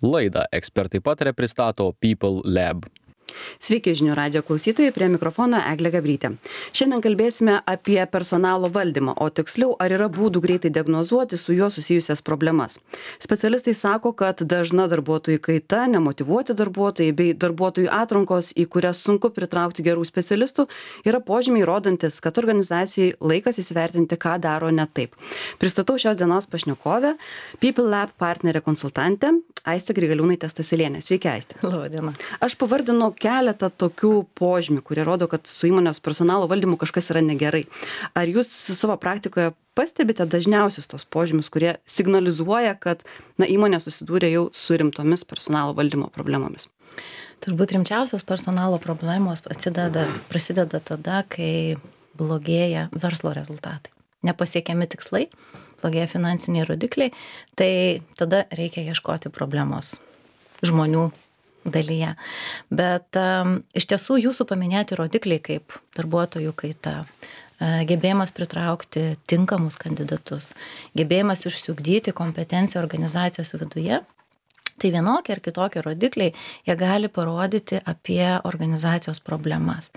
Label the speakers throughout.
Speaker 1: Laidą ekspertai pataria pristato People Lab.
Speaker 2: Sveiki žinių radijo klausytojai, prie mikrofono Eglė Gabrytė. Šiandien kalbėsime apie personalo valdymą, o tiksliau, ar yra būdų greitai diagnozuoti su juo susijusias problemas. Specialistai sako, kad dažna darbuotojų kaita, nemotyvuoti darbuotojai bei darbuotojų atrankos, į kurias sunku pritraukti gerų specialistų, yra požymiai rodantis, kad organizacijai laikas įsivertinti, ką daro ne taip. Pristatau šios dienos pašnekovę, People Lab partnerė konsultantė Aistė Grigaliūnaitė Staselienė. Sveiki, Aistė.
Speaker 3: Labą dieną.
Speaker 2: Aš pavardinu keletą tokių požymių, kurie rodo, kad su įmonės personalo valdymu kažkas yra negerai. Ar jūs savo praktikoje pastebite dažniausius tos požymius, kurie signalizuoja, kad įmonė susidūrė jau su rimtomis personalo valdymo problemomis?
Speaker 3: Turbūt rimčiausios personalo problemos prasideda tada, kai blogėja verslo rezultatai. Nepasiekiami tikslai, blogėja finansiniai rodikliai, tai tada reikia ieškoti problemos žmonių dalyje. Bet iš tiesų jūsų paminėti rodikliai kaip darbuotojų kaita, gebėjimas pritraukti tinkamus kandidatus, gebėjimas išsiugdyti kompetenciją organizacijos viduje, tai vienokie ar kitokie rodikliai, jie gali parodyti apie organizacijos problemas.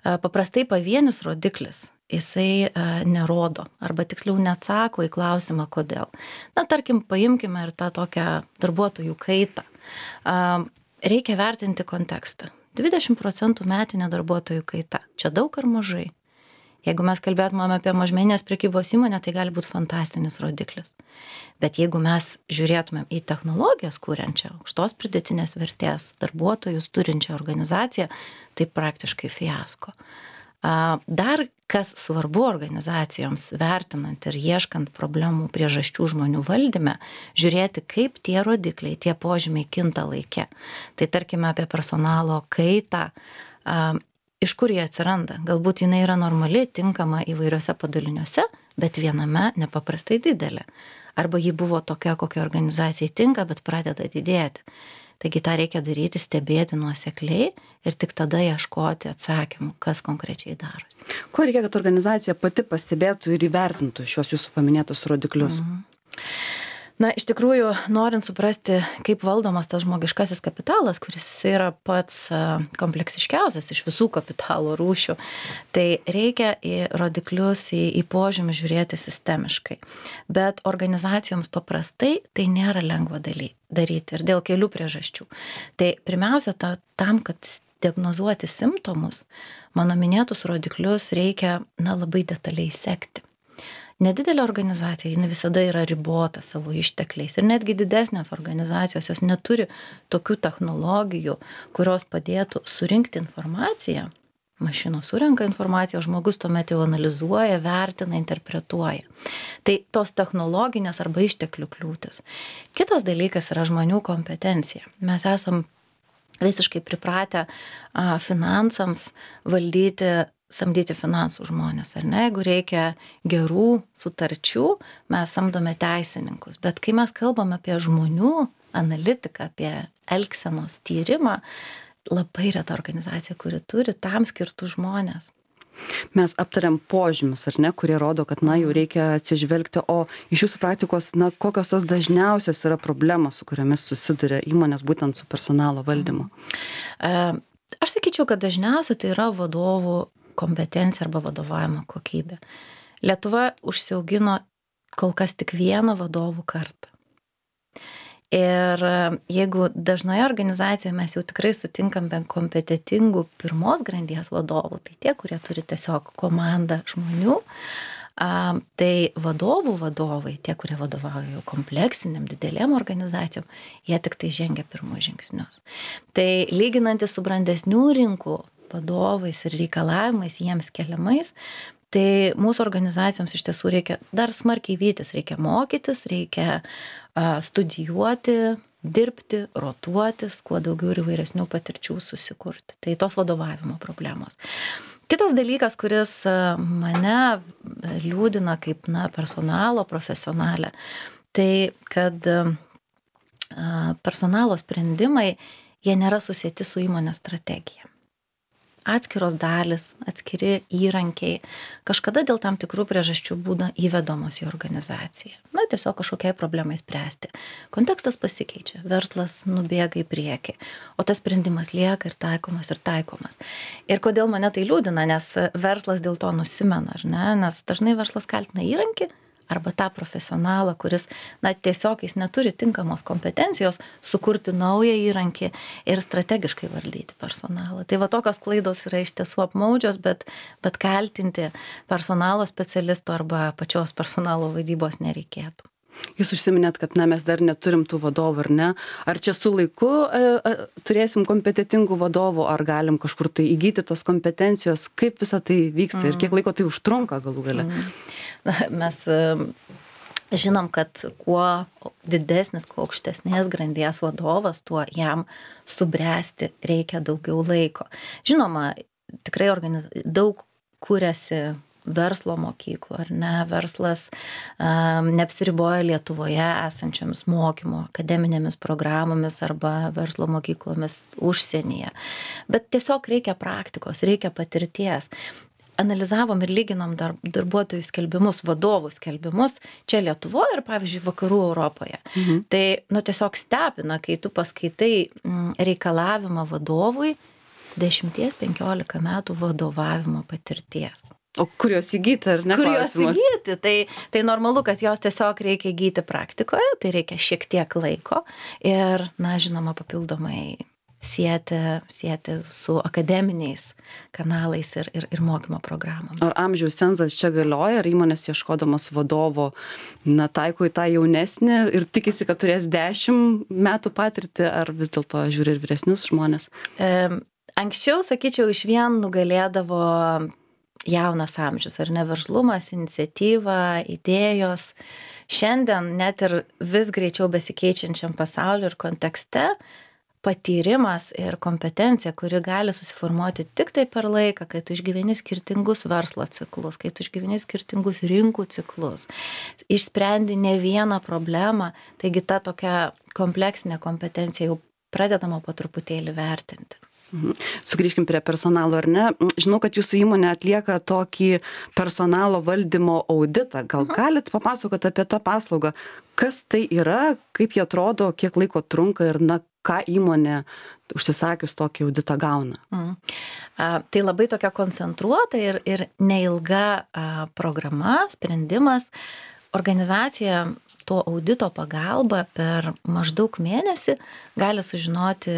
Speaker 3: Paprastai pavienis rodiklis jisai nerodo, arba tiksliau neatsako į klausimą, kodėl. Tarkim, paimkime ir tą tokią darbuotojų kaitą. Reikia vertinti kontekstą. 20% metinė darbuotojų kaita. Čia daug ar mažai? Jeigu mes kalbėtumėm apie mažmeninės prekybos įmonę, tai gali būti fantastinis rodiklis. Bet jeigu mes žiūrėtumėm į technologijas kūrenčią, aukštos pridėtinės vertės darbuotojus turinčią organizaciją, tai praktiškai fiasko. Dar kas svarbu organizacijoms vertinant ir ieškant problemų priežasčių žmonių valdyme, žiūrėti, kaip tie rodikliai, tie požymiai kinta laike. Tai tarkime apie personalo kaitą, iš kur jie atsiranda. Galbūt jinai yra normali, tinkama įvairiose padaliniuose, bet viename nepaprastai didelė. Arba ji buvo tokia, kokia organizacijai tinka, bet pradeda didėti. Taigi tą reikia daryti, stebėti nuosekliai ir tik tada ieškoti atsakymų, kas konkrečiai darosi.
Speaker 2: Ko reikia, kad organizacija pati pastebėtų ir įvertintų šios jūsų paminėtus rodiklius?
Speaker 3: Iš tikrųjų, norint suprasti, kaip valdomas tas žmogiškasis kapitalas, kuris yra pats kompleksiškiausias iš visų kapitalo rūšių, tai reikia į rodiklius, į požymį žiūrėti sistemiškai. Bet organizacijoms paprastai tai nėra lengva daryti ir dėl kelių priežasčių. Tai pirmiausia, tam, kad diagnozuoti simptomus, mano minėtus rodiklius reikia labai detaliai sekti. Nedidelė organizacija, ji visada yra ribota savo ištekliais ir netgi didesnės organizacijos, jos neturi tokių technologijų, kurios padėtų surinkti informaciją. Mašinos surenka informaciją, žmogus tuomet jau analizuoja, vertina, interpretuoja. Tai tos technologinės arba išteklių kliūtis. Kitas dalykas yra žmonių kompetencija. Mes esam visiškai pripratę finansams samdyti finansų žmonės, ar ne? Jeigu reikia gerų sutarčių, mes samdome teisininkus. Bet kai mes kalbam apie žmonių analitiką, apie elgsenos tyrimą, labai reta organizacija, kuri turi tam skirtų žmonės.
Speaker 2: Mes aptariam požymius, ar ne, kurie rodo, kad jau reikia atsižvelgti, o iš jūsų praktikos, kokios tos dažniausios yra problemos, su kuriomis susiduria įmonės būtent su personalo valdymu?
Speaker 3: Aš sakyčiau, kad dažniausiai tai yra vadovų kompetencija arba vadovavimo kokybė. Lietuva užsiaugino kol kas tik vieną vadovų kartą. Ir jeigu dažnoje organizacijoje mes jau tikrai sutinkam be kompetitingų pirmos grandies vadovų, tai tie, kurie turi tiesiog komandą žmonių, tai vadovai, tie, kurie vadovauja jau kompleksiniam, didelėm organizacijom, jie tik tai žengia pirmus žingsnius. Tai lyginantis su brandesnių rinkų vadovais ir reikalavimais jiems keliamais, tai mūsų organizacijoms iš tiesų reikia dar smarkiai vytis, reikia mokytis, reikia studijuoti, dirbti, rotuotis, kuo daugiau ir įvairesnių patirčių susikurti. Tai tos vadovavimo problemos. Kitas dalykas, kuris mane liūdina kaip personalo profesionalę, tai kad personalo sprendimai, jie nėra susieti su įmonės strategija. Atskiros dalis, atskiri įrankiai kažkada dėl tam tikrų priežasčių būna įvedamos į organizaciją. tiesiog kažkokiai problemai spręsti. Kontekstas pasikeičia, verslas nubėga į priekį, o tas sprendimas lieka ir taikomas ir taikomas. Ir kodėl mane tai liūdina, nes verslas dėl to nusimena, ar ne? Nes dažnai verslas kaltina įrankį arba tą profesionalą, kuris, tiesiog jis neturi tinkamos kompetencijos sukurti naują įrankį ir strategiškai valdyti personalą. Tai tokios klaidos yra iš tiesų apmaudžios, bet kaltinti personalo specialistų arba pačios personalo vadybos nereikėtų.
Speaker 2: Jūs užsiminėt, kad mes dar neturim tų vadovų, ar ne? Ar čia su laiku turėsim kompetentingų vadovų, ar galim kažkur tai įgyti tos kompetencijos, kaip visa tai vyksta ir kiek laiko tai užtrunka galų gale?
Speaker 3: Mes žinom, kad kuo didesnis, kuo aukštesnės grandies vadovas, tuo jam subręsti reikia daugiau laiko. Žinoma, tikrai daug kuriasi verslo mokyklų, ar ne? Verslas neapsiriboja Lietuvoje esančiomis mokymo, akademinėmis programomis arba verslo mokyklomis užsienyje. Bet tiesiog reikia praktikos, reikia patirties. Analizavom ir lyginom darbuotojų skelbimus, vadovų skelbimus čia Lietuvoje ir, pavyzdžiui, vakarų Europoje. Tai tiesiog stebina, kai tu paskaitai reikalavimą vadovui 10-15 metų vadovavimo patirties.
Speaker 2: O kur jos įgyti, ar ne?
Speaker 3: Kur jos įgyti? Tai normalu, kad jos tiesiog reikia įgyti praktikoje, tai reikia šiek tiek laiko ir, žinoma, papildomai sieti su akademiniais kanalais ir mokymo programomis.
Speaker 2: Ar amžiaus cenzas čia galioja, ar įmonės ieškodamas vadovo, taiko į tą jaunesnį ir tikisi, kad turės 10 metų patirtį, ar vis dėlto žiūri ir vyresnius žmonės?
Speaker 3: Anksčiau, sakyčiau, iš vien nugalėdavo jaunas amžius, ar ne, veržlumas, iniciatyva, idėjos. Šiandien net ir vis greičiau besikeičiančiam pasauliu ir kontekste patyrimas ir kompetencija, kuri gali susiformuoti tik tai per laiką, kai tu išgyveni skirtingus verslo ciklus, kai tu išgyveni skirtingus rinkų ciklus, išsprendi ne vieną problemą, taigi ta tokia kompleksinė kompetencija jau pradedama po truputėlį vertinti.
Speaker 2: Sugrįžkim prie personalo, ar ne? Žinau, kad jūsų įmonė atlieka tokį personalo valdymo auditą. Gal galit papasakoti apie tą paslaugą? Kas tai yra, kaip jie atrodo, kiek laiko trunka ir ką įmonė užsisakius tokį auditą gauna?
Speaker 3: Tai labai tokia koncentruota ir neilga programa, sprendimas. Organizacija to audito pagalba per maždaug mėnesį gali sužinoti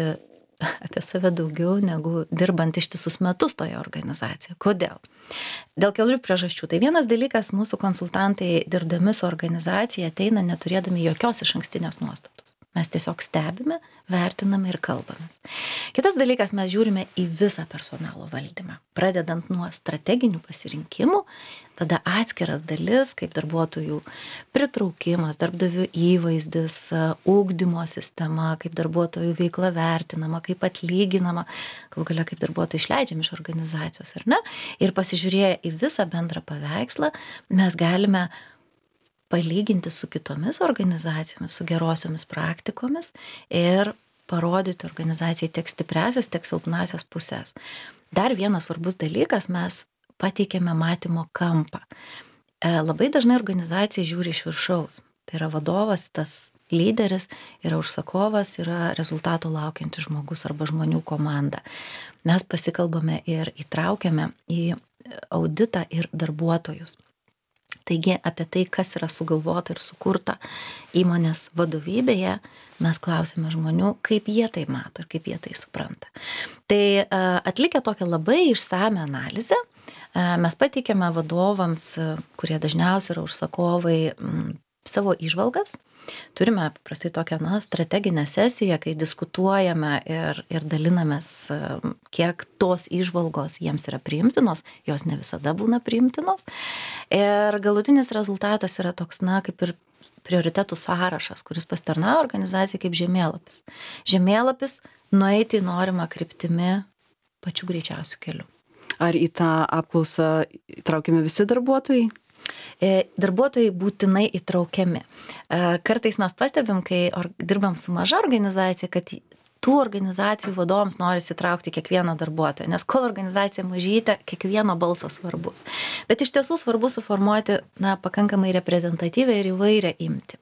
Speaker 3: apie save daugiau negu dirbant ištisus metus toje organizacijoje. Kodėl? Dėl kelių priežasčių. Tai vienas dalykas, mūsų konsultantai dirbdami su organizacija ateina neturėdami jokios išankstinės nuostatos. Mes tiesiog stebime, vertiname ir kalbamės. Kitas dalykas, mes žiūrime į visą personalo valdymą. Pradedant nuo strateginių pasirinkimų, tada atskiras dalis, kaip darbuotojų pritraukimas, darbdavių įvaizdis, ugdymo sistema, kaip darbuotojų veikla vertinama, kaip atlyginama, galų gale kaip darbuotojai išleidžiami iš organizacijos, ar ne? Ir pasižiūrėję į visą bendrą paveikslą, mes galime palyginti su kitomis organizacijomis, su gerosiomis praktikomis ir parodyti organizacijai tiek stipriasias, tiek silpnasias pusės. Dar vienas svarbus dalykas, mes pateikėme matymo kampą. Labai dažnai organizacija žiūri iš viršaus. Tai yra vadovas, tas lyderis, yra užsakovas, yra rezultatų laukiantis žmogus arba žmonių komanda. Mes pasikalbame ir įtraukiame į auditą ir darbuotojus. Taigi apie tai, kas yra sugalvota ir sukurta įmonės vadovybėje, mes klausime žmonių, kaip jie tai mato ir kaip jie tai supranta. Tai atlikę tokią labai išsame analizę, mes pateikėme vadovams, kurie dažniausiai yra užsakovai, savo įžvalgas. Turime paprastai tokią strateginę sesiją, kai diskutuojame ir dalinamės, kiek tos įžvalgos jiems yra priimtinos, jos ne visada būna priimtinos. Ir galutinis rezultatas yra toks, kaip ir prioritetų sąrašas, kuris pasitarnauja organizacijai kaip žemėlapis. Žemėlapis nueiti į norimą kryptimi pačiu greičiausiu keliu.
Speaker 2: Ar į tą apklausą įtraukiami visi darbuotojai?
Speaker 3: Darbuotojai būtinai įtraukiami. Kartais mes pastebim, kai dirbam su maža organizacija, kad tų organizacijų vadovams norisi įtraukti kiekvieną darbuotoją, nes kol organizacija mažytė, kiekvieno balsas svarbus. Bet iš tiesų svarbu suformuoti pakankamai reprezentatyvę ir įvairią imtį.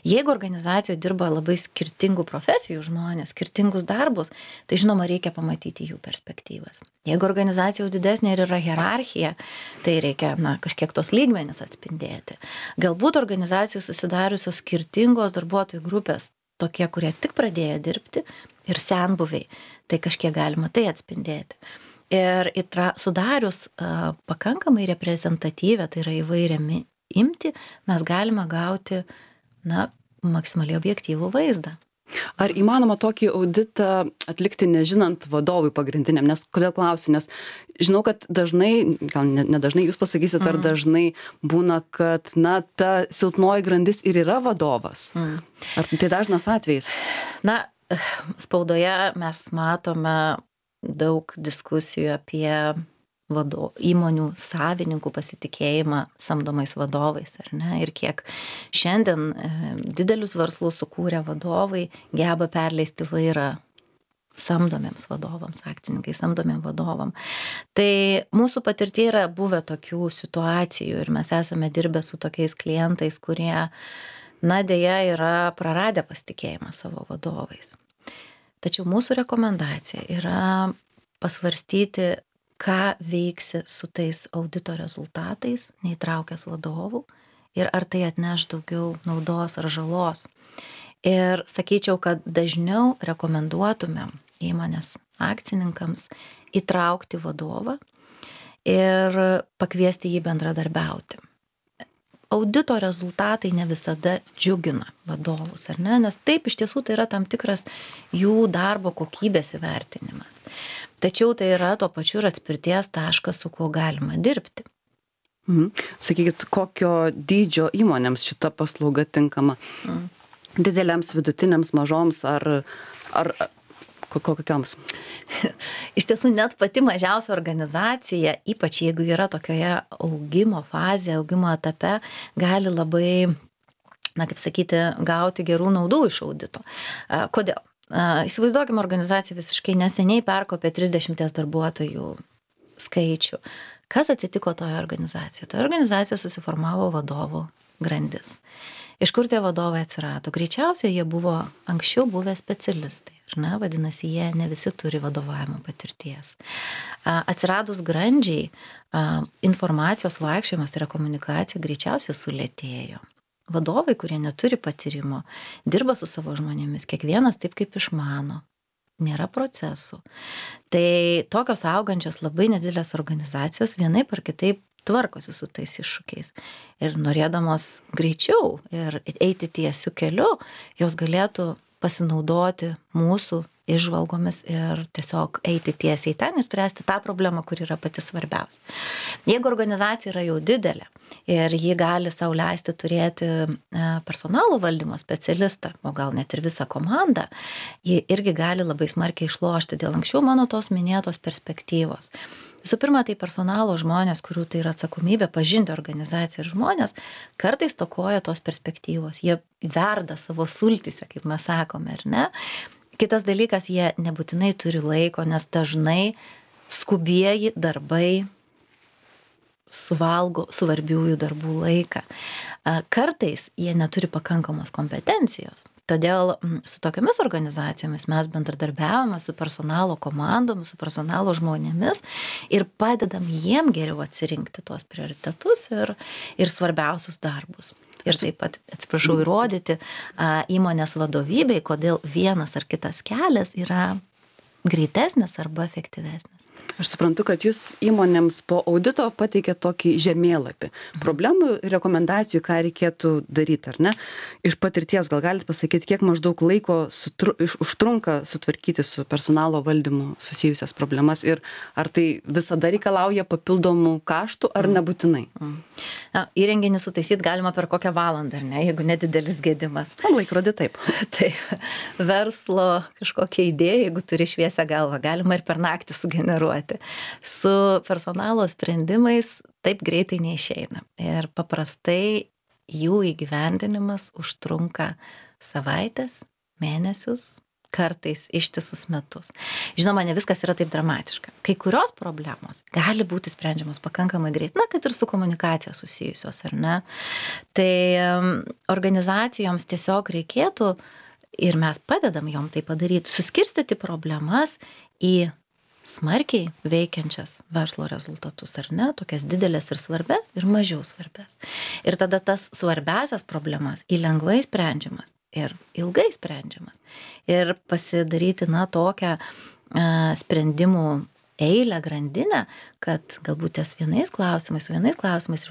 Speaker 3: Jeigu organizacijoje dirba labai skirtingų profesijų žmonės, skirtingus darbus, tai žinoma reikia pamatyti jų perspektyvas. Jeigu organizacija jau didesnė ir yra hierarchija, tai reikia kažkiek tos lygmenis atspindėti. Galbūt organizacijų susidariusios skirtingos darbuotojų grupės, tokie, kurie tik pradėjo dirbti ir senbuviai, tai kažkiek galima tai atspindėti. Ir sudarius pakankamai reprezentatyvę, tai yra įvairią imtį, mes galime gauti maksimaliai objektyvų vaizdą.
Speaker 2: Ar įmanoma tokį auditą atlikti nežinant vadovui pagrindiniam? Nes kodėl klausiu? Nes žinau, kad dažnai, gal nedažnai jūs pasakysit, ar dažnai būna, kad ta silpnoji grandis ir yra vadovas. Ar tai dažnas atvejis?
Speaker 3: Spaudoje mes matome daug diskusijų apie įmonių savininkų pasitikėjimą samdomais vadovais, ar ne? Ir kiek šiandien didelius verslus sukūrę vadovai geba perleisti vairą samdomiems vadovams, akcininkai samdomiem vadovam. Tai mūsų patirtyje yra buvę tokių situacijų ir mes esame dirbę su tokiais klientais, kurie, deja, yra praradę pasitikėjimą savo vadovais. Tačiau mūsų rekomendacija yra pasvarstyti, ką veiksi su tais audito rezultatais, neįtraukęs vadovų, ir ar tai atneš daugiau naudos ar žalos. Ir sakyčiau, kad dažniau rekomenduotumėm įmonės akcininkams įtraukti vadovą ir pakviesti jį bendradarbiauti. Audito rezultatai ne visada džiugina vadovus, ar ne? Nes taip iš tiesų tai yra tam tikras jų darbo kokybės įvertinimas. Tačiau tai yra tuo pačiu ir atspirties taškas, su kuo galima dirbti.
Speaker 2: Sakykit, kokio dydžio įmonėms šita paslauga tinkama? Dideliams, vidutiniams, mažoms ar kokioms?
Speaker 3: Iš tiesų, net pati mažiausia organizacija, ypač jeigu yra tokioje augimo fazėje, augimo etape, gali labai, gauti gerų naudų iš audito. Kodėl? Įsivaizduokime, organizacija visiškai neseniai perkopė 30 darbuotojų skaičių. Kas atsitiko toje organizacijoje? Toje organizacijoje susiformavo vadovų grandis. Iš kur tie vadovai atsirado? Greičiausiai jie buvo anksčiau buvę specialistai. Vadinasi, jie ne visi turi vadovavimo patirties. Atsiradus grandžiai, informacijos vaikščiojimas, tai yra komunikacija, greičiausiai sulėtėjo. Vadovai, kurie neturi patyrimo, dirba su savo žmonėmis, kiekvienas taip, kaip išmano. Nėra procesų. Tai tokios augančios labai nedidelės organizacijos vienaip ar kitaip tvarkosi su tais iššūkiais. Ir norėdamos greičiau ir eiti tiesiu keliu, jos galėtų pasinaudoti mūsų įžvalgomis ir tiesiog eiti tiesiai ten ir spręsti tą problemą, kur yra pati svarbiausia. Jeigu organizacija yra jau didelė ir ji gali sau leisti turėti personalo valdymo specialistą, o gal net ir visą komandą, ji irgi gali labai smarkiai išlošti dėl anksčiau mano tos minėtos perspektyvos. Visų pirma, tai personalo žmonės, kurių tai yra atsakomybė pažinti organizaciją ir žmonės, kartais stokoja tos perspektyvos. Jie verda savo sultyse, kaip mes sakome, ar ne? Kitas dalykas, jie nebūtinai turi laiko, nes dažnai skubieji darbai suvalgo svarbiųjų darbų laiką. Kartais jie neturi pakankamos kompetencijos. Todėl su tokiamis organizacijomis mes bendradarbiavome su personalo komandomis, su personalo žmonėmis ir padedam jiem geriau atsirinkti tuos prioritetus ir svarbiausius darbus. Ir taip pat, įrodyti įmonės vadovybei, kodėl vienas ar kitas kelias yra greitesnis arba efektyvesnis.
Speaker 2: Aš suprantu, kad jūs įmonėms po audito pateikėt tokį žemėlapį problemų ir rekomendacijų, ką reikėtų daryti, ar ne? Iš patirties gal galite pasakyti, kiek maždaug laiko užtrunka sutvarkyti su personalo valdymu susijusias problemas ir ar tai visada reikalauja papildomų kaštų ar nebūtinai?
Speaker 3: Įrenginį sutaisyti galima per kokią valandą, ar ne, jeigu nedidelis gedimas.
Speaker 2: Laikrodį taip.
Speaker 3: Tai verslo kažkokia idėja, jeigu turi šviesią galvą, galima ir per naktį sugeneruoti. Su personalo sprendimais taip greitai neišeina. Ir paprastai jų įgyvendinimas užtrunka savaitės, mėnesius, kartais ištisus metus. Žinoma, ne viskas yra taip dramatiška. Kai kurios problemos gali būti sprendžiamos pakankamai greit, kad ir su komunikacija susijusios, ar ne. Tai organizacijoms tiesiog reikėtų, ir mes padedam jom tai padaryti, suskirstyti problemas į smarkiai veikiančias verslo rezultatus, ar ne, tokias didelės ir svarbės, ir mažiau svarbės. Ir tada tas svarbiasias problemas į lengvai sprendžiamas ir ilgai sprendžiamas. Ir pasidaryti, tokią sprendimų eilę, grandinę, kad galbūt ties vienais klausimais ir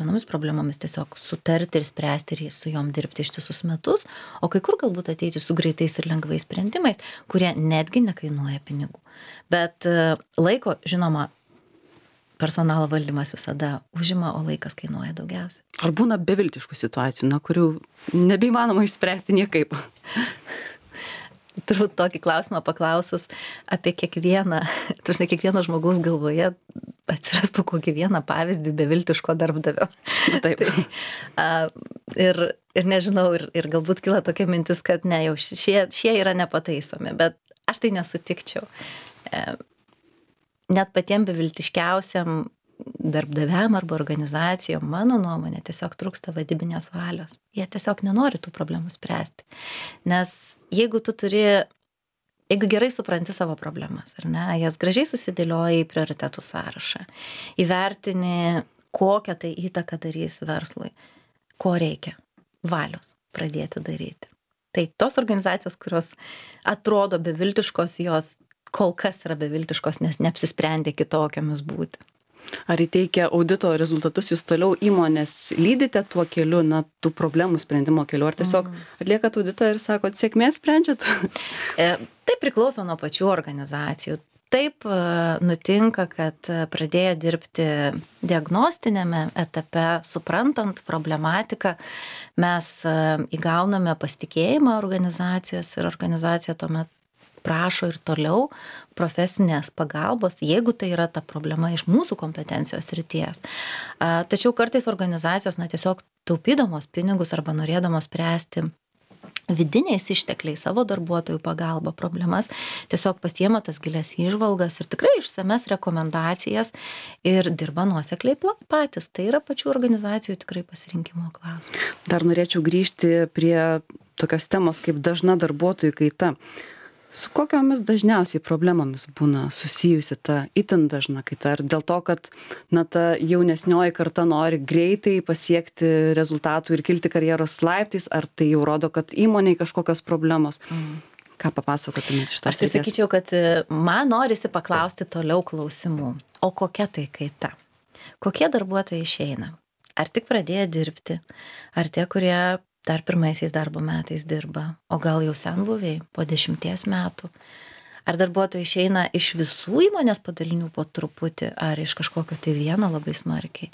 Speaker 3: vienomis problemomis tiesiog sutarti ir spręsti ir su jom dirbti ištisus metus, o kai kur galbūt ateiti su greitais ir lengvais sprendimais, kurie netgi nekainuoja pinigų. Bet laiko, žinoma, personalo valdymas visada užima, o laikas kainuoja daugiausiai.
Speaker 2: Ar būna beviltiškų situacijų, kurių nebeįmanoma išspręsti niekaip?
Speaker 3: Turbūt tokį klausimą paklausus apie kiekvieno žmogaus galvoje atsiras po kokį vieną pavyzdį beviltiško darbdavio.
Speaker 2: Taip.
Speaker 3: Ir nežinau, ir galbūt kila tokia mintis, kad ne, jau šie yra nepataisomi, bet aš tai nesutikčiau. Net patiem beviltiškiausiam darbdaviam arba organizacijom, mano nuomonė, tiesiog trūksta vadybinės valios. Jie tiesiog nenori tų problemų spręsti. Nes jeigu gerai supranti savo problemas, ar ne, jas gražiai susidėlioji į prioritetų sąrašą, įvertini, kokią tai įtaką darys verslui, ko reikia, valios pradėti daryti. Tai tos organizacijos, kurios atrodo beviltiškos, jos kol kas yra beviltiškos, nes neapsisprendė kitokiamis būti.
Speaker 2: Ar įteikia audito rezultatus, jūs toliau įmonės lydite tuo keliu, tų problemų sprendimo keliu, ar tiesiog atliekat auditą ir sakot, sėkmės sprendžiat?
Speaker 3: Tai priklauso nuo pačių organizacijų. Taip nutinka, kad pradėję dirbti diagnostinėme etape, suprantant problematiką, mes įgauname pasitikėjimą organizacijos ir organizacija tuomet prašo ir toliau profesinės pagalbos, jeigu tai yra ta problema iš mūsų kompetencijos srities. Tačiau kartais organizacijos tiesiog taupydamos pinigus arba norėdamos spręsti vidiniais ištekliais savo darbuotojų pagalba problemas, tiesiog pasiema tas gilias įžvalgas ir tikrai išsames rekomendacijas ir dirba nuosekliai patys. Tai yra pačių organizacijų tikrai pasirinkimo klausimas.
Speaker 2: Dar norėčiau grįžti prie tokios temos kaip dažna darbuotojų kaita. Su kokiomis dažniausiai problemomis būna susijusi ta itin dažna kaita? Ar dėl to, kad ta jaunesnioji karta nori greitai pasiekti rezultatų ir kilti karjeros laiptais, ar tai jau rodo, kad įmonėje kažkokios problemos? Ką papasakotumėte iš tos srities?
Speaker 3: Aš tai sakyčiau, kad man norisi paklausti toliau klausimų. O kokia tai kaita? Kokie darbuotojai išeina? Ar tik pradėjo dirbti? Ar tie, kurie dar pirmaisiais darbo metais dirba, o gal jau senbuviai po 10 metų? Ar darbuotojai išeina iš visų įmonės padalinių po truputį, ar iš kažkokio tai vieno labai smarkiai?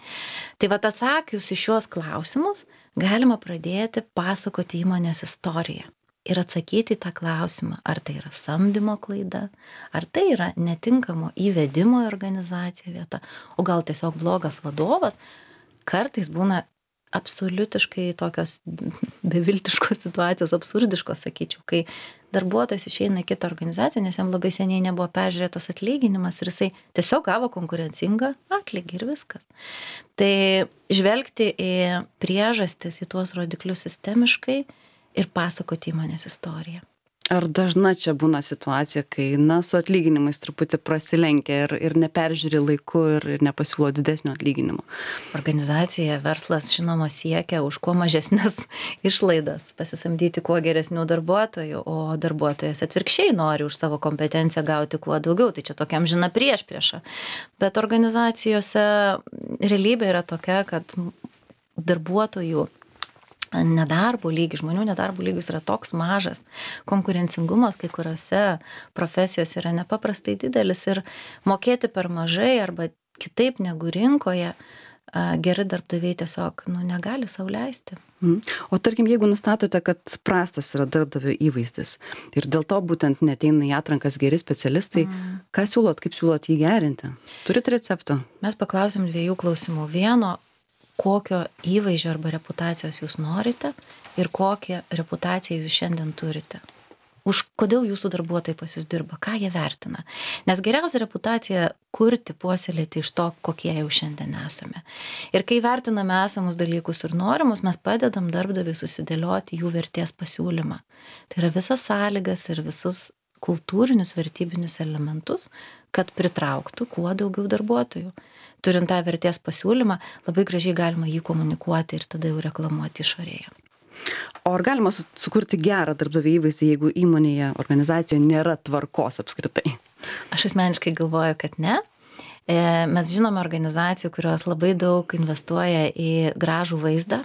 Speaker 3: Tai atsakius į šios klausimus, galima pradėti pasakoti įmonės istoriją ir atsakyti į tą klausimą, ar tai yra samdymo klaida, ar tai yra netinkamo įvedimo į organizaciją vieta, o gal tiesiog blogas vadovas. Kartais būna absoliutiškai tokios beviltiškos situacijos, absurdiškos, sakyčiau, kai darbuotojas išeina į kitą organizaciją, nes jam labai seniai nebuvo peržiūrėtas atlyginimas ir jisai tiesiog gavo konkurencingą atlygį ir viskas. Tai žvelgti į priežastis, į tuos rodiklius sistemiškai ir pasakoti įmonės istoriją.
Speaker 2: Ar dažna čia būna situacija, kai su atlyginimais truputį prasilenkia ir neperžiūri laiku ir nepasiūlo didesnio atlyginimo?
Speaker 3: Organizacija, verslas, žinoma, siekia už kuo mažesnės išlaidas pasisamdyti kuo geresnių darbuotojų, o darbuotojas atvirkščiai nori už savo kompetenciją gauti kuo daugiau. Tai čia tokia amžina priešprieša. Bet organizacijose realybė yra tokia, kad darbuotojų nedarbo lygis, žmonių nedarbo lygis yra toks mažas, konkurencingumas kai kuriuose profesijose yra nepaprastai didelis ir mokėti per mažai arba kitaip negu rinkoje geri darbdaviai tiesiog negali sau leisti.
Speaker 2: O tarkim, jeigu nustatote, kad prastas yra darbdavio įvaizdis ir dėl to būtent neateina į atrankas geri specialistai, ką siūlot, kaip siūlot jį gerinti? Turit receptų?
Speaker 3: Mes paklausėm 2 klausimų. Vieno, kokio įvaizdžio arba reputacijos jūs norite ir kokią reputaciją jūs šiandien turite. kodėl jūsų darbuotojai pas jūs dirba, ką jie vertina. Nes geriausia reputacija kurti, puoselėti iš to, kokie jau šiandien esame. Ir kai vertiname esamus dalykus ir norimus, mes padedam darbdaviui susidėlioti jų vertės pasiūlymą. Tai yra visas sąlygas ir visus kultūrinius, vertybinius elementus, kad pritrauktų kuo daugiau darbuotojų. Turint tą vertės pasiūlymą, labai gražiai galima jį komunikuoti ir tada jau reklamuoti išorėje.
Speaker 2: O ar galima sukurti gerą darbdavio įvaizdį, jeigu įmonėje, organizacijoje nėra tvarkos apskritai?
Speaker 3: Aš asmeniškai galvoju, kad ne. Mes žinome organizacijų, kurios labai daug investuoja į gražų vaizdą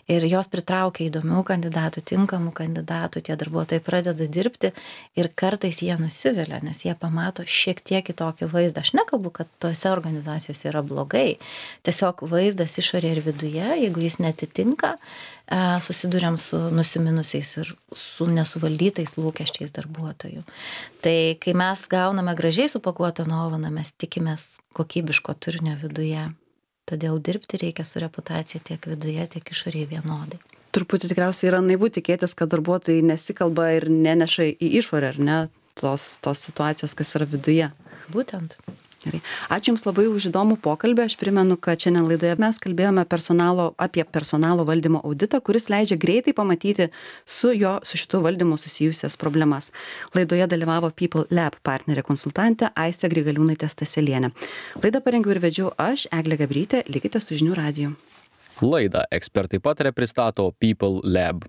Speaker 3: ir jos pritraukia įdomių kandidatų, tinkamų kandidatų, tie darbuotojai pradeda dirbti ir kartais jie nusivilia, nes jie pamato šiek tiek kitokį vaizdą. Aš nekalbu, kad tose organizacijose yra blogai, tiesiog vaizdas išorė ir viduje, jeigu jis netitinka, susiduriam su nusiminusiais ir su nesuvaldytais lūkesčiais darbuotojų. Tai kai mes gauname gražiai supakuotą dovaną, mes tikimės kokybiško turinio viduje. Todėl dirbti reikia su reputacija tiek viduje, tiek išorėje vienodai.
Speaker 2: Truputį tikriausiai yra naivu tikėtis, kad darbuotojai nesikalba ir neneša į išorę, ar ne, tos situacijos, kas yra viduje.
Speaker 3: Būtent.
Speaker 2: Gerai. Ačiū Jums labai už įdomų pokalbį. Aš primenu, kad šiandien laidoje mes kalbėjome apie personalo valdymo auditą, kuris leidžia greitai pamatyti su šitu valdymu susijusias problemas. Laidoje dalyvavo People Lab partnerė konsultantė Aistė Grigaliūnaitė Staselienė. Laidą parengiau ir vedžiau aš, Eglė Gabrytė. Likite su Žinių radiju.
Speaker 1: Laidą Ekspertai pataria pristato People Lab.